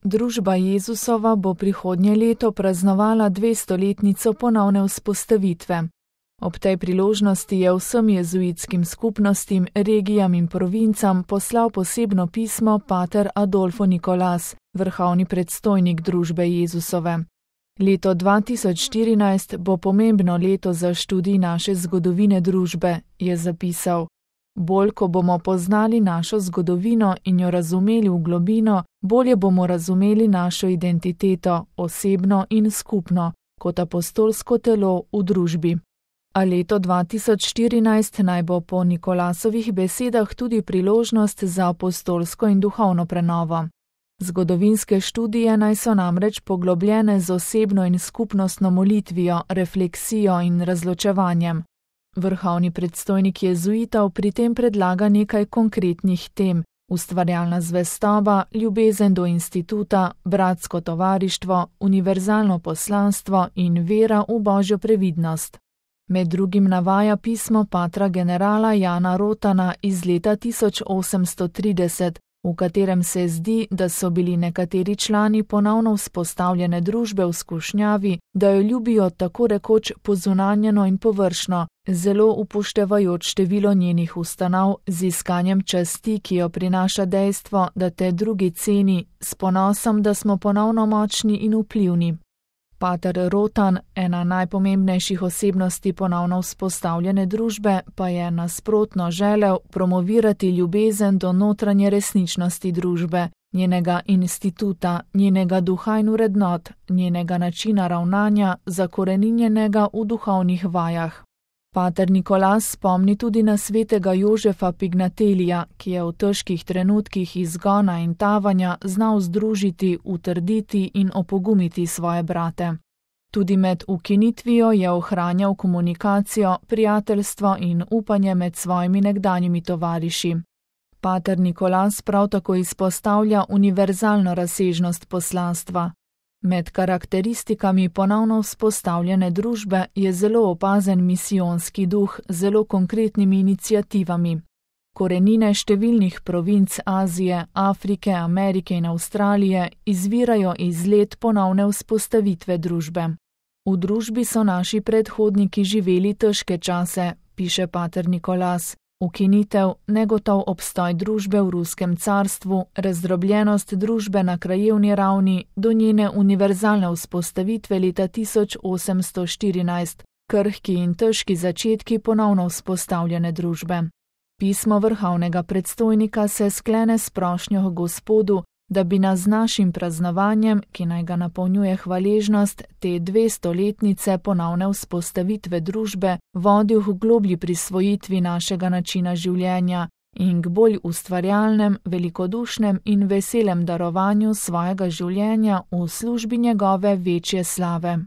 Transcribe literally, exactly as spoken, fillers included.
Družba Jezusova bo prihodnje leto praznovala dvestoletnico ponovne vzpostavitve. Ob tej priložnosti je vsem jezuitskim skupnostim, regijam in provincam poslal posebno pismo pater Adolfo Nicolas, vrhovni predstojnik Družbe Jezusove. Leto dva tisoč štirinajst bo pomembno leto za študij naše zgodovine družbe, je zapisal. Bolj, ko bomo poznali našo zgodovino in jo razumeli v globino, bolje bomo razumeli našo identiteto, osebno in skupno, kot apostolsko telo v družbi. A leto dva tisoč štirinajst naj bo po Nikolasovih besedah tudi priložnost za apostolsko in duhovno prenovo. Zgodovinske študije naj so namreč poglobljene z osebno in skupnostno molitvijo, refleksijo in razločevanjem. Vrhovni predstojnik jezuitov pri tem predlaga nekaj konkretnih tem: ustvarjalna zvestoba, ljubezen do instituta, bratsko tovarištvo, univerzalno poslanstvo in vera v božjo previdnost. Med drugim navaja pismo patra generala Jana Rotana iz leta tisoč osemsto trideset, v katerem se zdi, da so bili nekateri člani ponovno vzpostavljene družbe v skušnjavi, da jo ljubijo tako rekoč pozunanjeno in površno, zelo upoštevajoč število njenih ustanov, z iskanjem časti, ki jo prinaša dejstvo, da te drugi ceni, s ponosom, da smo ponovno močni in vplivni. Pater Rotan, ena najpomembnejših osebnosti ponovno vzpostavljene družbe, pa je nasprotno želel promovirati ljubezen do notranje resničnosti družbe, njenega instituta, njenega duha in vrednot, njenega načina ravnanja, zakoreninjenega v duhovnih vajah. Pater Nicolas spomni tudi na svetega Jožefa Pignatelija, ki je v težkih trenutkih izgona in tavanja znal združiti, utrditi in opogumiti svoje brate. Tudi med ukinitvijo je ohranjal komunikacijo, prijateljstvo in upanje med svojimi nekdanjimi tovariši. Pater Nicolas prav tako izpostavlja univerzalno razsežnost poslanstva. Med karakteristikami ponovno vzpostavljene družbe je zelo opazen misijonski duh z zelo konkretnimi iniciativami. Korenine številnih provinc Azije, Afrike, Amerike in Avstralije izvirajo iz let ponovne vzpostavitve družbe. V družbi so naši predhodniki živeli težke čase, piše pater Nicolas. Ukinitev, negotov obstoj družbe v ruskem carstvu, razdrobljenost družbe na krajevni ravni do njene univerzalne vzpostavitve leta tisoč osemsto štirinajst, krhki in težki začetki ponovno vzpostavljene družbe. Pismo vrhovnega predstojnika se sklene s prošnjo Gospodu, da bi nas z našim praznovanjem, ki naj ga napolnjuje hvaležnost, te dvestoletnice ponovne vzpostavitve družbe vodil k globlji prisvojitvi našega načina življenja in k bolj ustvarjalnem, velikodušnem in veselem darovanju svojega življenja v službi njegove večje slave.